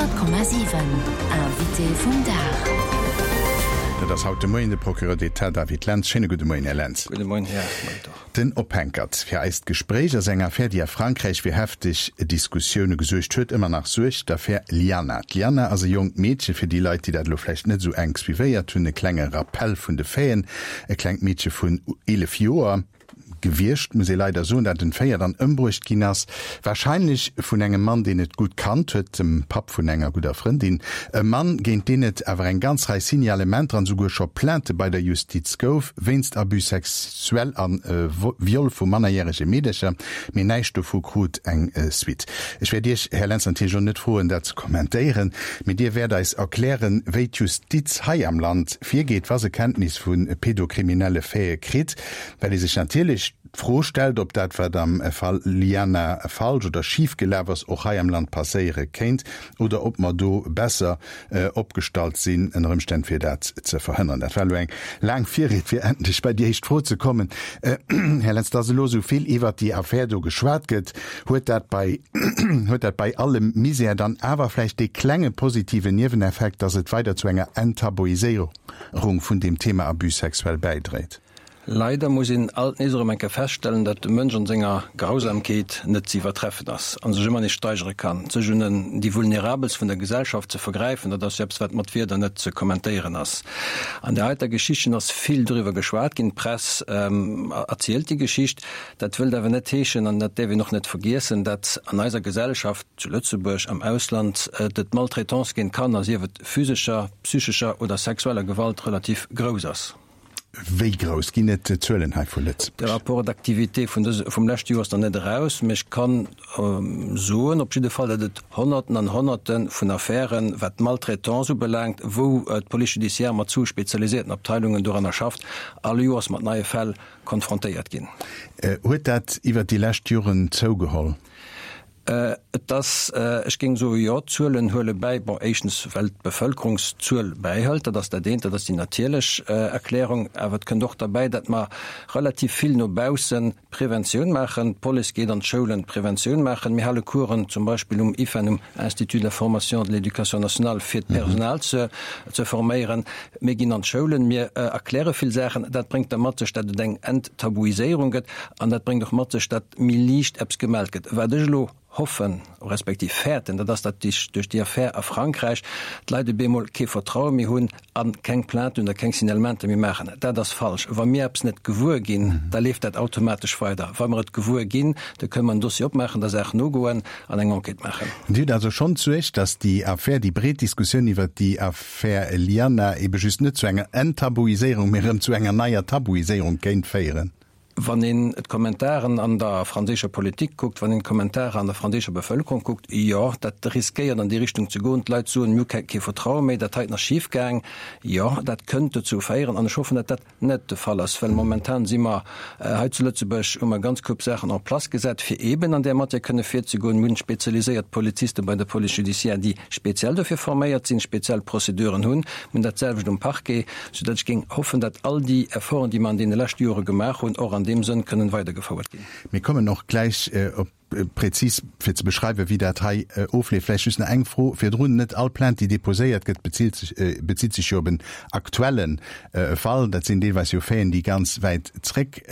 100,7 Invité vum Dag. Dat ass haut de Moien de Procureur d'État David Lentz. Schéine gudde Moien, Här Lentz. Gudde Moien, Här Molitor. Den Ophänkert fir eist Gespréich ass eng Affär, déi a Frankräich fir hefteg Diskussioune gesuergt huet, ëmmer nach suergt, d'Affär Liana. D'Liana ass e jonkt Meedche, fir déi Leit, déi dat elo vläicht net esou enk suivéiert hunn, e klenge Rappell vun de Faiten, e klengt Meedche vun 11 Joer, gewiescht, muss ee leider soen, dat entféiert an ëmbruecht ginn ass, wahrscheinlech vun engem Mann, deen et gutt kannt huet, dem Papp vun enger gudder Frëndin. E Mann, géint deen et awer eng ganz Rei Signalementer an esouguer scho Plainte bei der Justiz gouf, wéinst Abus sexuel a Viol vu mannerjärege Meedercher, mee näischt dovu krut eng Suite. Ech wäert Iech, Här Lentz, natierlech elo net froen, dat ze kommentéieren, mee Dir wäert eis erklären, wéi d'Justiz hei am Land virgeet, wa se Kenntnis vu pedokriminelle Faite kritt. Well ee sech natierlech d'Fro stellt, ob dat, wat am Fall Liana falsch oder schif gelaf ass, och hei am Land passéiere kéint oder ob mer do besser opgestallt sinn ënner Ëmstänn, fir dat ze verhënneren. Dat war elo eng laang Virried, fir endlech bei déi éischt Fro ze kommen. Här Lentz, dass elo esou vill iwwert déi Affär do geschwat gëtt, huet dat bei, huet dat bei allem Misär dann awer vläicht dee klenge positiven Nieweneffekt, dass et weider zu enger Enttabuiséierung vun deem Thema Abus sexuel bäidréit? Leider muss een alt nees erëm eng Kéier feststellen, dat de Mënsch an senger Grausamkeet net ze iwwertreffen ass a sech ëmmer nees steigere kann. Sech un en déi Vulnerabelst vun der Gesellschaft ze vergräifen, dat ass jo eppes, wat mat Wierder net ze kommentéieren ass. An där heiter Geschichtchen ass vill doriwwer geschwat ginn, d'Press erzielt déi Geschicht. Dat wëllt awer net heeschen, an dat däerf een och net vergiessen, dat an eiser Gesellschaft, zu Lëtzebuerg, am Ausland, d'Maltraitance géint Kanner, sief et physescher, psychescher oder sexueller Gewalt, relativ grouss ass. Wéi grouss? Ginn et Zuelen hei vu Lëtzebuerg? De Rapport d'activité vun dëse, vum leschte Joer ass nach net eraus, mee ech kann soen op jidde Fall, datt et Honnerten an Honnerte vun Affären, wat d'Maltraitance ubelaangt, wou d'Police judiciaire mat zwou spezialisierten Abteilungen doranner schafft, all Joers mat neie Fäll konfrontéiert ginn. Huet dat iwwert déi lescht Joren zougeholl? Et ass, ech géing soen, jo, d'Zuelen huele bäi. Bon, éischtens, well d'Bevëlkerungszuel bäihëlt, dat ass dat eent, dat ass déi natierlech Erklärung. Awer et kënnt och derbäi, datt mer relativ vill no bausse Preventioun maachen. D'Police geet an d'Schoulen Preventioun maachen. Mir hale Coursen zum Beispill um IFEN, um Institut de la formation de l'éducation nationale, fir d'Personal ze forméieren. Mir ginn an d'Schoulen, mir erkläre vill Saachen. Dat bréngt da mat sech, datt et eng Enttabuiséierung gëtt. An dat bréngt och mat sech, datt méi liicht eppes gemellt gëtt. Wat ech elo hoffen, respektiv fäerten, dat ass, datt duerch déi Affär a Frankräich d'Leit op eemol kee Vertraue méi hunn a keng Plainten oder keng Signalementer méi maachen. Dat ass falsch. Wa mir eppes net gewuer ginn, da leeft dat automatesch weider. Wa mer et gewuer ginn, da kënne mer en Dossier opmaachen, der Saach nogoen an eng Enquête maachen. Dir hutt also schonn d'Suerg, datt déi Affär, déi breet Diskussioun iwwert déi Affär Liana ebe just net zu enger Enttabuiséierung, mee erëm zu enger neier Tabuiséierung kéint féieren? Wann een d'Kommentaren an der franséischer Politik kuckt, wann een d'Kommentare an der franséischer Bevëlkerung kuckt, jo, dat riskéiert an déi Richtung ze goen. D'Leit soen, mir hu kee Vertraue méi, dat heiten ass schif gaang. Jo, dat kënnt dozou féieren an ech hoffen, datt dat net de Fall ass, well momentan si mer hei zu Lëtzebuerg, hu mer ganz Koup Saachen en place gesat, fir eeben an där Matière kënne virzegoen. Mir hunn spezialiséiert Poliziste bei der Police judiciaire, déi speziell dofir forméiert sinn, speziell Prozeduren hunn. Mir hunn dat selwecht um Parquet. Soudatt ech géing hoffen, datt all déi Efforten, déi mer an deene leschte Jore gemaach hunn, och an deem Sënn kënnen weidergefouert ginn. Mir kommen och gläich op prezis fir ze beschreiwen, wéi dat hei ofleeft. Vläicht just nach eng Fro virdrun. Net all Plainte, déi déposéiert gëtt, bezilt sech, bezitt sech jo op en aktuelle Fall. Dat sinn deelweis jo Faiten, déi ganz wäit zréck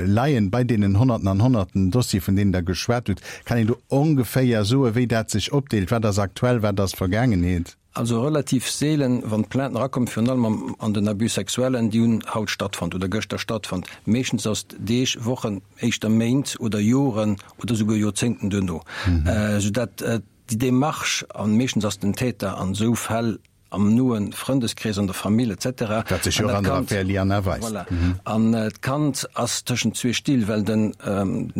leien. Bei deenen Honnerten an Honnerten Dossiere, vun deenen Der geschwat hutt, kann een do ongeféier soen, wéi dat sech opdeelt? Wat ass aktuell, wat ass Vergaangenheet? Also relativ seelen, wann d'Plainten erakommen, virun allem am an den Abus sexuellen, déi hunn haut stattfonnt oder gëschter stattfonnt. Meeschtens ass et Deeg, Wochen, éischter Méint oder Joren oder souguer Joerzéngten duerno, soudatt déi Démarche, an meeschtens ass den Täter an esou Fäll am noe Frëndeskrees, an der Famill et cetera. Wat sech jo och an der Affär Liana weist. Voilà. An d'Kand ass tëschent zwee Still, well den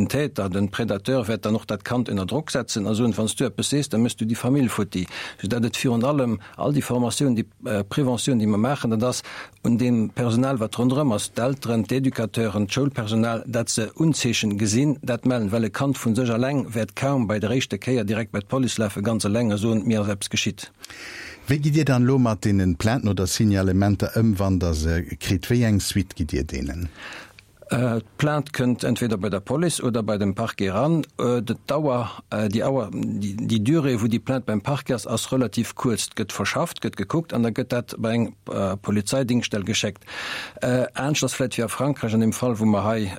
Täter, den Predateur wäert dann och dat Kand ënner Drock setzen a soen, wann s du eppes sees, da méchs du déi Famill futti. Soudatt et virun allem all déi Formatioun, déi Preventioun, déi mer maachen, dat ass un deem Personal, wat ronderëm ass, d'Elteren, d'Educateuren, d'Schoulpersonal, dat se Unzeechen gesinn, dat mellen. Well e Kand vu sech alleng wäert kaum bei der éischter Kéier direkt bei d'Police lafen, ganz eleng, a soen, mir ass eppes geschitt. Wéi gitt Dir dann elo mat deenen Plainten oder Signalementer ëm, wann Der se kritt? Wéi eng Suite gitt Dir deenen? D'Plainte kënnt entweder bei der Police oder bei dem Parquet eran. D'Dauer, déi Auer, déi Durée, wou déi Plainte beim Parquet ass, ass relativ kuerz. Et gëtt verschafft, gëtt gekuckt an da gëtt dat bei eng Polizeidingschtstell geschéckt. Anescht ass vläicht wéi a Frankräich an deem Fall, wou mer hei,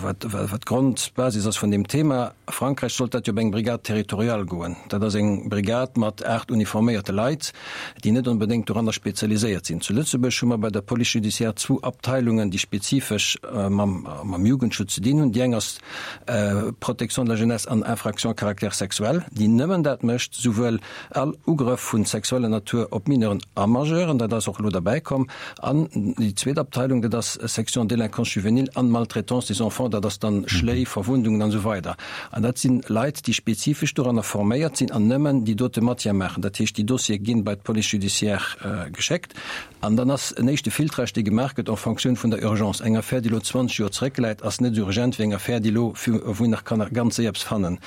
wat d'Grondbasis ass vun deem Thema, A Frankräich sollt dat jo op eng Brigade territoriale goen. Dat ass eng Brigade mat 8 uniforméierte Leit, déi net onbedéngt doranner spezialiséiert sinn. Zu Lëtzebuerg hu mer bei der Police judiciaire zwou Abteilungen, déi spezifesch mam Jugendschutz ze dinn hunn. Déi eng ass Protection de la jeunesse an Infractions à caractère sexuel, déi nëmmen dat mécht, souwuel All Ugrëff vun sexueller Natur op Mineuren a Majeuren, dat ass och elo derbäi komm. An déi zweet Abteilung, dat ass Section Délinquance juvénile an Maltraitance des enfants, dat ass dann Schléi, Verwundungen an esou weider. An dat sinn Leit, déi spezifesch doranner forméiert sinn an nëmmen déi dote Matière maachen. Dat heescht, déi Dossiere ginn bei d'Police judiciaire geschéckt. An dann ass en éischte Filtrage, dee gemaach gëtt en fonction vun der Urgence. Eng Affär, déi elo 20 Joer zeréckläit, ass net esou urgent wéi eng Affär, déi elo, wou een nach kann ganz séier eppes fannen.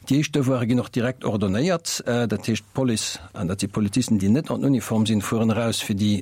Déi éischt Devoire ginn och direkt ordonnéiert. Dat heescht, d'Police, an dat si Polizisten, déi net en Uniform sinn, fueren eraus, fir déi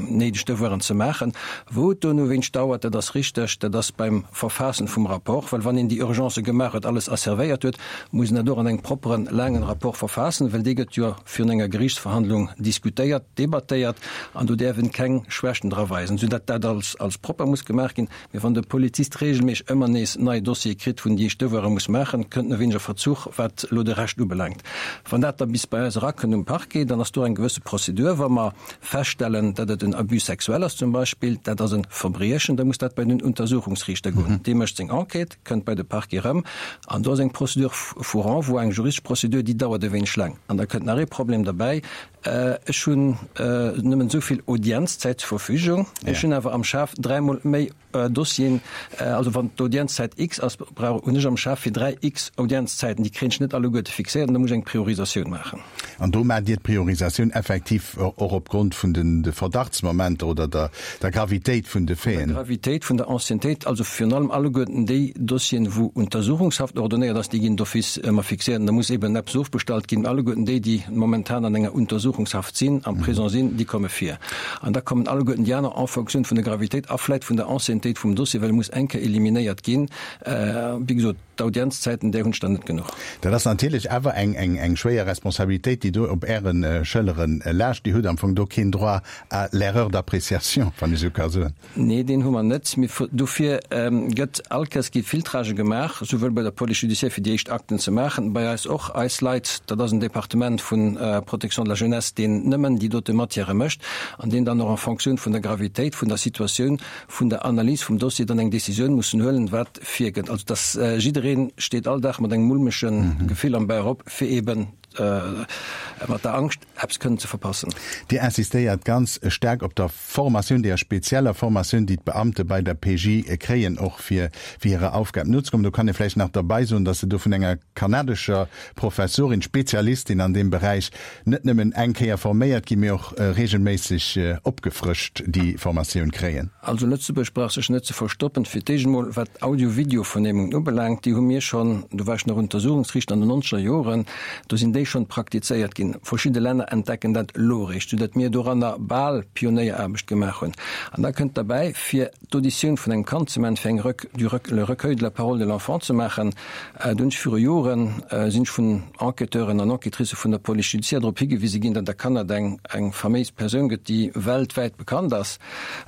néideg Devoiren ze maachen. Wou et dono wéinst dauert, dat ass richteg, dat ass beim Verfaassen vum Rapport, well wann een déi Urgencë gemaach huet, alles asservéiert huet, muss een dat och an engem propperen, laangen Rapport verfaassen, well dee gëtt jo virun enger Geriichtsverhandlung diskutéiert, debattéiert an do däerf en keng Schwächten dra weisen, sou datt dat als als propper muss gemaach ginn. Mee wann de Polizist regelméisseg ëmmer nees nei Dossiere kritt, wou en déi éischt Devoire muss maachen, kënnt en e wéineg a Verzuch, wat elo de Rescht ubelaangt. Wann dat da bis bei eis erakënnt um Parquet, dann ass do eng gewësse Prozedur. Wa mer feststellen, datt et en Abus sexuel ass zum Beispill, dat ass e Verbriechen, da muss dat bei den Untersuchungsriichter goen. Dee mécht seng Enquête, kënnt bei de Parquet erëm an do ass eng Procédure vu Renvoi, eng juristesch Procédure, déi dauert e wéineg laang. An da kënnt nach ee Problem derbäi, Ech hunn nëmmen esou vill Audienzzäit zur Verfügung, ech hunn awer am Schaf dräimol méi Dossieren. Also wann d'Audienzzäit X ass, brauch hunn ech am Schaf fir 3 X Audienzzäiten. Déi kréien ech net alleguerte fixéiert an da muss ech eng Priorisatioun maachen. An do maacht Dir d'Priorisatioun effektiv och opgrond vun de Verdachtsmomenter oder der Gravitéit vun de Faiten? Der Gravitéit, vun der Anciennetéit, also virun allem alleguerten déi Dossieren, wou Untersuchungshaft ordonnéiert ass, déi ginn d'office ëmmer fixéiert an da muss eben eppes ofbestallt ginn. Alleguerten déi, déi momentan an enger Untersuchungshaft sinn, am Prison sinn, déi komme vir. An da kommen alleguerten déi aner en fonction vun der Gravitéit a vläit vun der Anciennetéit vum Dossier, well e muss eng Kéier eliminéiert ginn. Wéi gesot, d'Audienzzäiten, där hunn ech der net genuch. Dat ass natierlech awer eng schwéier Responsabilitéit, déi do op Äre Schëllere laascht. Dir hutt am Fong do keen Droit à l'erreur d'appréciation, wann ech esou ka soen. Nee, deen hu mer net. Mee dofir gëtt all Kéiers gi Filtragë gemaach, souwuel bei der Police judiciaire fir déi éischt Akten ze maachen, bei eis och. Eis Leit, dat ass en Departement vu Protection de la jeunesse, deen nëmmen déi dote Matièrë mécht an deen dann och en Fonctioun vun der Gravitéit vun der Situatioun, vun der Analys vum Dossier dann eng Décisioun mussen huelen, wat virgëtt. Also dass jidderee steet all Dag mat engem mulmege Gefill am Bauch op, fir eeben mat der Angscht, eppes kënnen ze verpassen. Dir insistéiert ganz staark op der Formatioun, deeër spezieller Formatioun, déi d'Beamte bei der PJ kréien, och fir hirer Aufgab nozekommen. Do kann ee vläicht nach derbei soen, dass se do vun enger kanadescher Professorin, Spezialistin an deem Beräich, net nëmmen eng Kéier forméiert ginn, mee och regelméisseg opgefrëscht déi Formatioun kréien. Also Lëtzebuerg brauch sech net ze verstoppen. Fir d'éischt emol, wat d'Audio-Video-Vernehmungen ubelaangt, déi hu mir schonn, do war ech nach Untersuchungsriichter an den nonzeger Joren, do sinn déi schonn praktizéiert ginn. Verschidde Länner entdecken dat elo eréischt, soudatt mir doranner bal Pionéieraarbecht gemaach hunn. An da kënnt derbäi, fir d'Auditioun vun engem Kand ze maachen, fir eng Rec, du Rec, le recueil de la parole de l'enfant ze maachen, do hunn ech viru Joren, sinn ech vun Enquêteuren an Enquêtricë vun der Police judiciaire drop higewise ginn, datt a Kanada eng, eng faméis Persoun gëtt, déi weltwäit bekannt ass,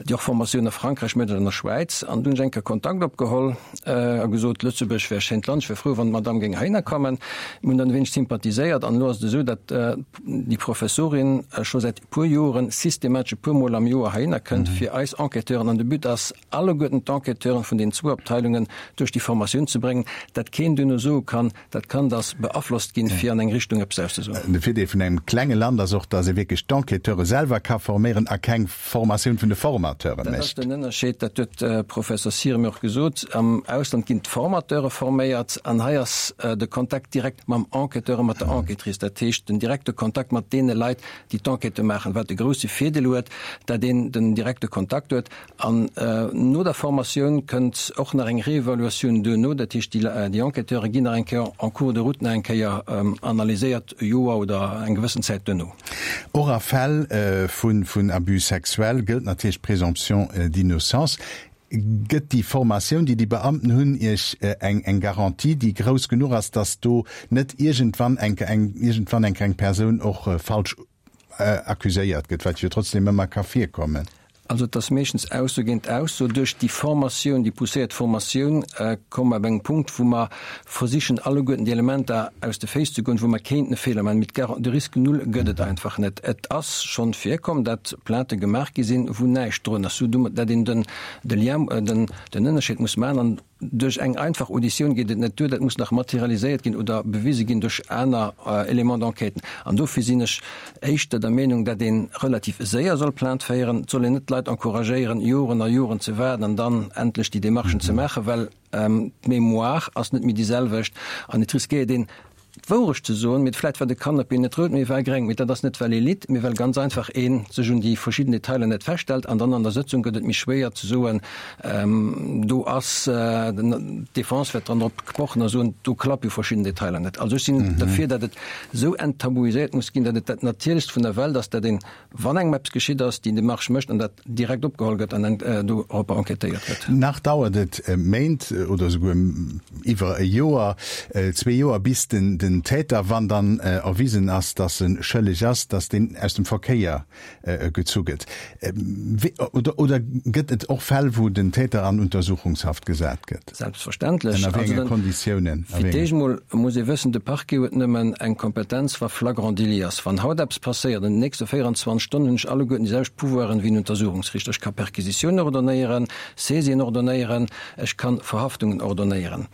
déi och Formatioun a Frankräich mécht an an der Schwäiz. An do hunn ech eng Kéier Kontakt opgeholl a gesot, Lëtzebuerg wär e schéint Land, ech wär frou, wann d'Madame géing heihinner kommen. Mir hunn dann e wéineg sympathiséiert an elo ass et esou, datt déi Professorin scho säit e puer Joren systematesch e puer Mol am Joer heihinner kënnt, fir eis Enquêteuren, an de But ass, alleguerten d'Enquêteuren vun den zwou Abteilungen duerch déi Formatioun ze bréngen, datt keen duerno soe kann, dat Kand ass beaflosst ginn, fir an eng Richtung eppes auszesoen. De Virdeel vun engem klenge Land ass och, datt ee wierklech d'Enquêteure selwer ka forméieren a keng Formatioun vun de Formateure mécht. Dat ass den Ënnerscheed, dat huet de Professor Sire mir och gesot. Am Ausland ginn d'Formateure forméiert an hei ass de Kontakt direkt mam Enquêteur a mat der Enquêtrice, dat heescht den direkte Kontakt mat deene Leit, déi d'Enquête maachen, wat de grousse Virdeel huet, datt een den direkte Kontakt huet. An no der Formatioun kënnt och nach eng Reevaluatioun duerno, dat heescht, déi Enquêteure ginn nach eng Kéier en cours de route nach eng Kéier analyséiert, e Joer oder eng gewëssen Zäit duerno. Och a Fäll vun Abus sexuel gëllt natierlech d'Présomption d'innocence. Gëtt déi Formatioun, déi déi Beamten hunn, Iech eng eng Garantie, déi grouss genuch ass, datt do net iergendwann eng eng iergendwann eng eng Persoun och falsch accuséiert gëtt, wat jo trotzdem ëmmer ka virkommen? Also et ass meeschtens Ausso géint Ausso. Duerch déi Formatioun, déi pousséiert Formatioun, komme mer op engem Punkt, wou mer versichen alleguerten déi Elementer aus de Féiss ze goen, wou mer kéinten e Feeler maachen. Mee de Risque null gëtt et einfach net. Et ass schonn virkomm, datt Plaintë gemaach gi sinn, wou näischt drun ass, sou datt een den de Lien, den den Ënnerscheed muss maachen. An duerch eng einfach Auditioun geet et net duer, dat muss nach materialiséiert ginn oder bewise ginn duerch aner Éléments d'enquête. An dofir sinn ech éischter der Meenung, datt ee relativ séier soll Plainte féieren. Et soll een net d'Leit encouragéieren, Joren a Joren ze waarden an dann endlech déi Démarchen ze maachen, well d'Mémoire ass net méi déi selwecht an et riskéiert een, d'Wourecht ze soen, mee vläit war de Kannapee net rout, mee war gréng. Mee dat ass net well ee litt, mee well ganz einfach ee sech un déi verschidden Detailer net feststellt. An dann an der Sëtzung gëtt et méi schwéier ze soen, do ass d'Defense wäert dann drop pochen a soen, do klappe jo verschidden Detailer net. Also ech sinn derfir, datt et esou enttabuiséiert muss ginn, datt et dat Natierlechst vun der Welt ass, datt een Wann engem eppes geschitt ass, déi Demarche mécht an dat direkt opgeholl gëtt an doropper enquêtéiert gëtt. Nach dauert et Méint oder esouguer iwwer e Joer, zwee Joer, bis den Täter, wann dann erwisen ass, datt e schëlleg ass, datt deen aus dem Verkéier gezu gëtt. Oder gëtt et och Fäll, wou den Täter an Untersuchungshaft gesat gëtt? Selbstverständlech. Ënner wéi enge Konditiounen? Fir d'éischt emol muss ee wëssen, de Parquet huet nëmmen eng Kompetenz, wa flagrant délit ass. Wann haut eppes passéiert, an den nächste 24 Stonnen hunn ech alleguerten déi selwecht Pouvoiren wéi en Untersuchungsriichter. Ech ka Perquisitiounen ordonnéieren, Saisien ordonnéieren, ech kann Verhaftungen ordonnéieren.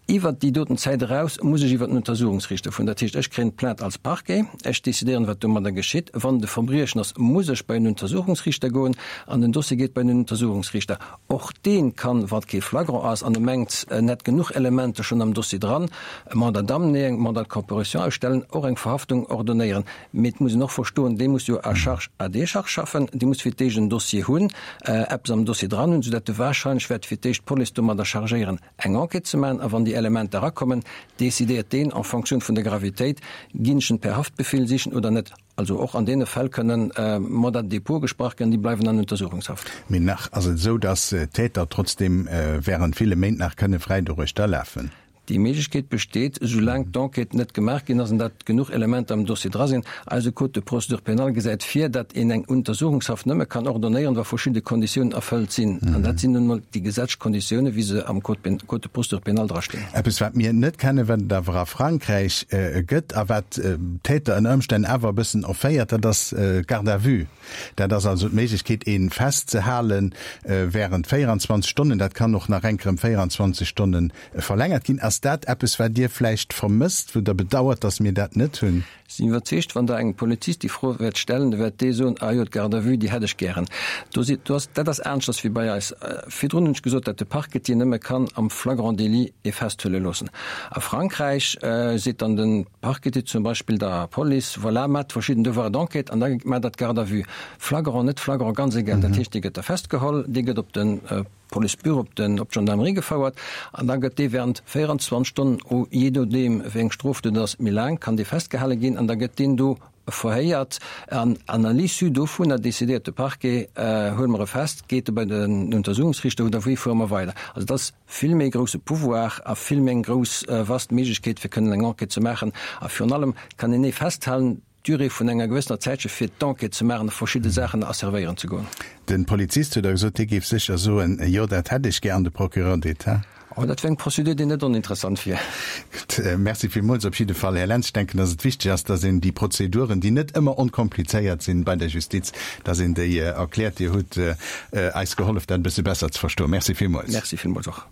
Iwwert déi doten Zäit eraus muss ech iwwert den Untersuchungsriichter fueren. Dat heescht, ech kréien d'Plainte als Parquet, ech decidéieren, wat domadder geschitt. Wann et e Verbriechen ass, muss ech bei en Untersuchungsriichter goen an den Dossier geet bei den Untersuchungsriichter. Och dee kann, wa kee Flagrant ass an e mengt, en hätt genuch Elementer schonn am Dossier dran, e Mandat d'amener, eng Mandat de comparution ausstellen, och eng Verhaftung ordonnéieren. Mee et muss een och verstoen, dee muss jo à charge à décharge schaffen, dee muss fir d'éischt en Dossier hunn, eppes am Dossier dran hunn, soudatt e wahrscheinlech wäert fir d'éischt d'Police domadder chargéieren, eng Enquête ze maachen. A wann déi Elementer erakommen, decidéiert deen en fonction vun der Gravitéit, ginn ech en per Haftbefehl sichen oder net. Also och an deene Fäll kënnen Mandats de dépôt gesprach ginn, déi bleiwen an Untersuchungshaft. Mee nach ass et esou, datt d'Täter trotzdeem während ville Méint nach kënne fräi doruechter lafen. Déi Méiglechkeet besteet, soulaang d'Enquête net gemaach ginn ass an datt genuch Elementer am Dossier dra sinn. Eise Code de procédure pénale gesäit vir, datt een eng Untersuchungshaft nëmme kann ordonnéieren, wa verschidde Konditiounen erfëllt sinn. An dat sinn nun emol déi gesetzlech Konditiounen, wéi se am Code de procédure pénale drastinn. Eppes, wat mir net kennen, wat et awer a Frankräich gëtt a wat d'Täter ënner Ëmstänn awer e bëssen erféiert, dat ass d'Garde à vue. Dat ass also d'Méiglechkeet, ee festzehale während 24 Stonnen. Dat kann och nach enk erëm 24 Stonne verlängert ginn. Ass dat eppes, wat Dir vläicht vermësst, wou Der bedauert, datt mir dat net hunn? Sinn iwwerzeegt, wann Der engem Polizist déi Fro wäert stellen, da wäert dee soen, Ah jo, d'Garde à vue, déi hätt ech gären. Do si, do ass, dat ass aneschters wéi bei eis. Virdrun hunn ech gesot, datt de Parquetier nëmme kann am flagrant délit ee festhuele loossen. A Frankräich seet dann de Parquetier zum Beispill der Police, Voilà, maacht verschidden Devoirs d'enquête an da maacht Der d'Garde à vue. Flagrant, net flagrant, ganz egal. Dat heescht, dee gëtt da festgeholl, dee gëtt op de Policebüro op den op d'Gendarmerie gefouert an da gëtt dee während 24 Stonnen, o jee nodeem wéi eng Strofdot et ass, méi laang kann dee festgehale ginn an da gëtt deen do verhéiert an an à l'issue dovunner decidéiert de Parquet, huele mer e fest, geet e bei den Untersuchungsriichter oder wéi fuere mer weider. Also et ass vill méi grousse Pouvoir a vill méi eng grouss vast Méiglechkeet fir kënnen eng Enquête ze maachen a virun allem kann een ee festhalen, Durée vun enger gewëssener Zäitche fir d'Enquête ze maachen a verschidde Saachen asservéieren ze goen. De Polizist huet da gesot, hie géif sécher soen, Jo, dat hätt ech gär, an de Procureur d'État? Oh, dat wär eng Procédure, déi net oninteressant wier. Gutt, Merci villmools op jidde Fall, Här Lentz. Ech denken, dass et wichteg ass, dass een déi Prozeduren, déi net ëmmer onkomplizéiert sinn bei der Justiz, dass een déi erkläert. Dir hutt eis gehollef, dat e bësse besser ze verstoen. Merci villmools. Merci villmools och.